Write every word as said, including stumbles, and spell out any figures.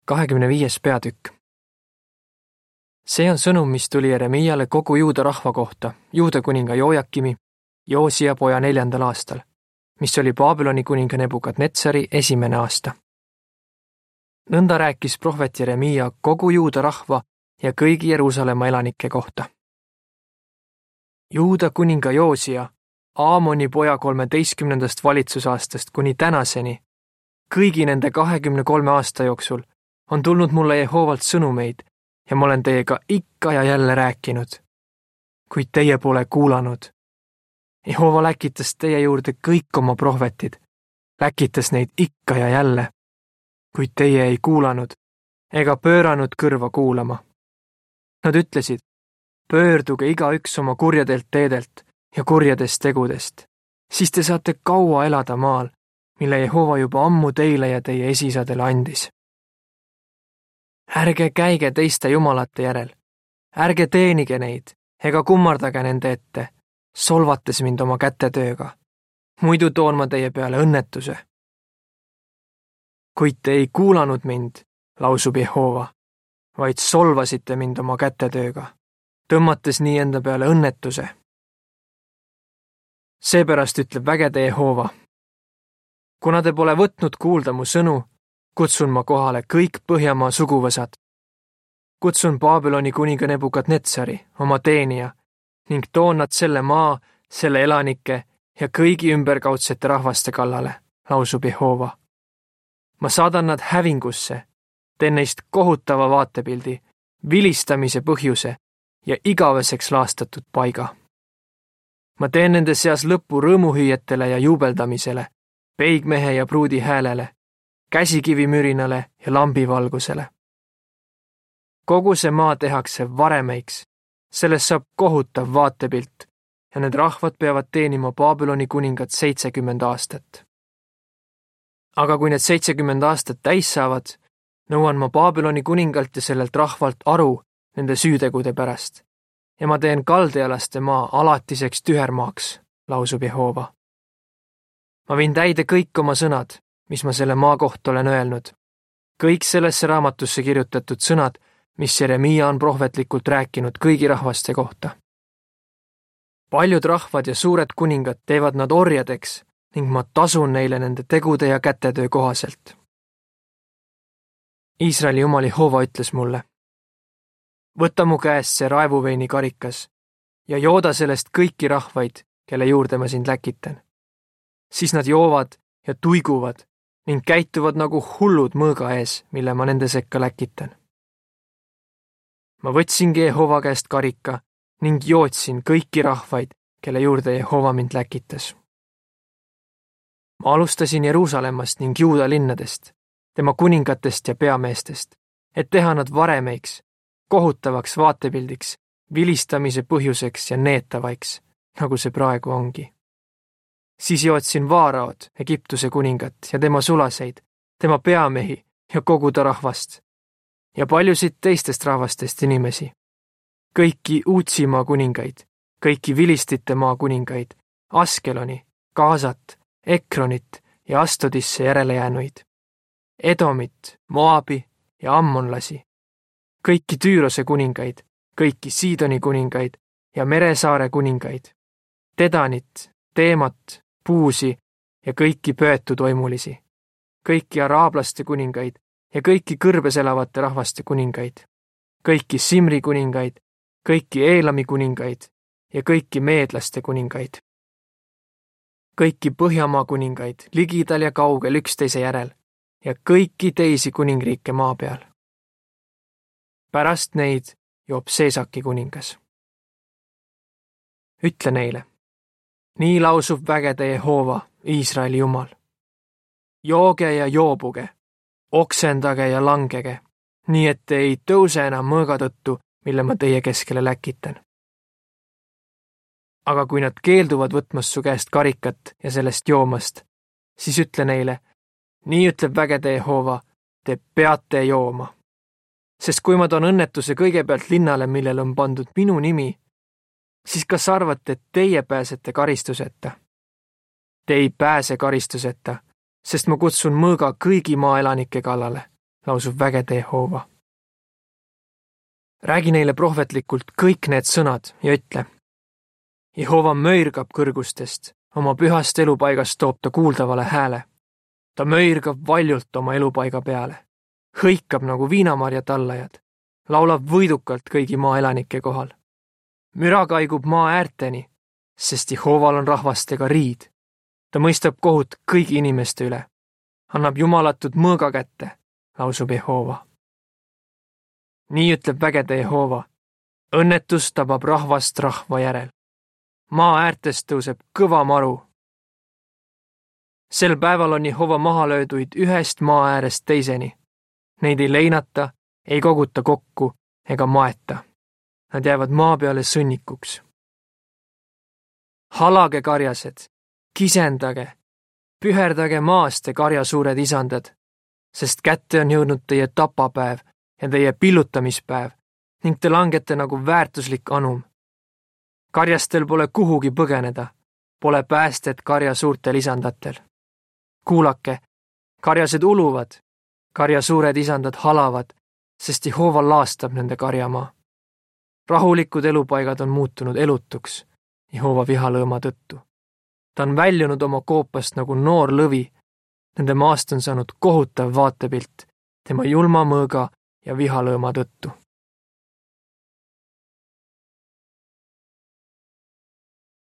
kahekümne viies peatükk. See on sõnum, mis tuli Jeremiale kogu Juuda rahva kohta, Juuda kuninga Jojakimi, Joosia poja neljandal aastal, mis oli Babyloni kuninga Nebukadnetsari esimene aasta. Nõnda rääkis prohvet Jeremia kogu Juuda rahva ja kõigi Jeruusalemma elanike kohta. Juuda kuninga Joosia, Aamoni poja kolmeteistkümnendast valitsusaastast kuni tänaseni, kõigi nende kahekümne kolme aasta jooksul on tulnud mulle Jehoovalt sõnumeid ja ma olen teiega ikka ja jälle rääkinud, kuid teie pole kuulanud. Jehova läkitas teie juurde kõik oma prohvetid, läkitas neid ikka ja jälle, kuid teie ei kuulanud ega pööranud kõrva kuulama. Nad ütlesid, pöörduge igaüks oma kurjadelt teedelt ja kurjadest tegudest, siis te saate kaua elada maal, mille Jehova juba ammu teile ja teie esisadele andis. Ärge käige teiste jumalate järel, ärge teenige neid ega kummardage nende ette, solvates mind oma kätetööga, muidu toon ma teie peale õnnetuse. Kuid te ei kuulanud mind, lausub Jehova, vaid solvasite mind oma kätetööga, tõmmates nii enda peale õnnetuse. Seepärast ütleb vägede Jehova, kuna te pole võtnud kuulda mu sõnu, kutsun ma kohale kõik Põhjamaa suguvõsad. Kutsun Babyloni kuninga Nebukadnetsari, oma teenija, ning toon nad selle maa, selle elanike ja kõigi ümberkaudsete rahvaste kallale, lausub Jehova. Ma saadan nad hävingusse, teen neist kohutava vaatepildi, vilistamise põhjuse ja igaveseks laastatud paiga. Ma teen nende seas lõpu rõõmuhüüetele ja juubeldamisele, peigmehe ja pruudi häälele, käsikivimürinale ja lambivalgusele. Kogu see maa tehakse varemeiks, sellest saab kohutav vaatepilt ja need rahvad peavad teenima Babyloni kuningat seitsekümmend aastat. Aga kui need seitsekümmend aastat täis saavad, nõuan ma Babyloni kuningalt ja sellelt rahvalt aru nende süütegude pärast ja ma teen kaldealaste maa alatiseks tühermaaks, lausub Jehova. Ma viin täide kõik oma sõnad, mis ma selle maa kohta olen öelnud. Kõik sellesse raamatusse kirjutatud sõnad, mis Jeremia on prohvetlikult rääkinud kõigi rahvaste kohta. Paljud rahvad ja suured kuningad teevad nad orjadeks ning ma tasun neile nende tegude ja kätetöö kohaselt. Iisraeli jumal Jehova ütles mulle, võta mu käest see raevuveini karikas ja jooda sellest kõiki rahvaid, kelle juurde ma sind läkitan. Siis nad joovad ja tuiguvad ning käituvad nagu hullud mõõga ees, mille ma nende sekka läkitan. Ma võtsingi Jehova käest karika ning jootsin kõiki rahvaid, kelle juurde Jehova mind läkitas. Ma alustasin Jeruusalemmast ning Juuda linnadest, tema kuningatest ja peameestest, et teha nad varemeiks, kohutavaks vaatepildiks, vilistamise põhjuseks ja neetavaiks, nagu see praegu ongi. Siis jootsin Vaaraod, Egiptuse kuningat ja tema sulaseid, tema peamehi ja kogu ta rahvast ja paljusid teistest rahvastest inimesi. Kõiki Uutsimaa kuningaid, kõiki Vilistite maa kuningaid, Askeloni, Gaasat, Ekronit ja Astodisse järele jäänuid, Edomit, Moabi ja Ammonlasi, kõiki Tüürose kuningaid, kõiki Siidoni kuningaid ja Meresaare kuningaid, Tedanit, Teemat, Puusi ja kõiki pöötu toimulisi, kõiki araablaste kuningaid ja kõiki kõrbes elavate rahvaste kuningaid, kõiki Simri kuningaid, kõiki Eelami kuningaid ja kõiki meedlaste kuningaid, kõiki Põhjamaa kuningaid ligidal ja kaugel üksteise järel ja kõiki teisi kuningriike maa peal. Pärast neid joob Seesaki kuningas. Ütle neile, nii lausub vägede Jehova, Iisraeli jumal. Jooge ja joobuge, oksendage ja langege, nii et te ei tõuse enam mõõga tõttu, mille ma teie keskele läkitan. Aga kui nad keelduvad võtmast su käest karikat ja sellest joomast, siis ütle neile, nii ütleb vägede Jehova, te peate jooma. Sest kui ma toon õnnetuse kõigepealt linnale, millel on pandud minu nimi, siis kas arvate, et teie pääsete karistuseta? Te ei pääse karistuseta, sest ma kutsun mõõga kõigi maaelanike kallale, lausub vägede Jehova. Räägi neile prohvetlikult kõik need sõnad ja ütle. Jehova möirgab kõrgustest, oma pühast elupaigast toob ta kuuldavale hääle. Ta möirgab valjult oma elupaiga peale, hõikab nagu viinamarja tallajad, laulab võidukalt kõigi maa elanike kohal. Müra kaigub maa äärteni, sest Jehoval on rahvastega riid. Ta mõistab kohut kõigi inimeste üle, annab jumalatud mõõga kätte, lausub Jehova. Nii ütleb vägede Jehova, õnnetus tabab rahvast rahva järel. Maa äärtest tõuseb kõva maru. Sel päeval on Jehova maha lööduid ühest maa äärest teiseni. Neid ei leinata, ei koguta kokku ega maeta. Nad jäävad maa peale sõnnikuks. Halage karjased, kisendage, püherdage maast te karja suured isandad, sest kätte on jõudnud teie tapapäev ja teie pillutamispäev ning te langete nagu väärtuslik anum. Karjastel pole kuhugi põgeneda, pole päästet karja suurtel isandatel. Kuulake, karjased uluvad, karja suured isandad halavad, sest Jehova laastab nende karjamaa. Rahulikud elupaigad on muutunud elutuks Jehova vihalõõma tõttu. Ta on väljunud oma koopast nagu noor lõvi. Nende maast on saanud kohutav vaatepilt tema julma mõõga ja vihalõõma tõttu.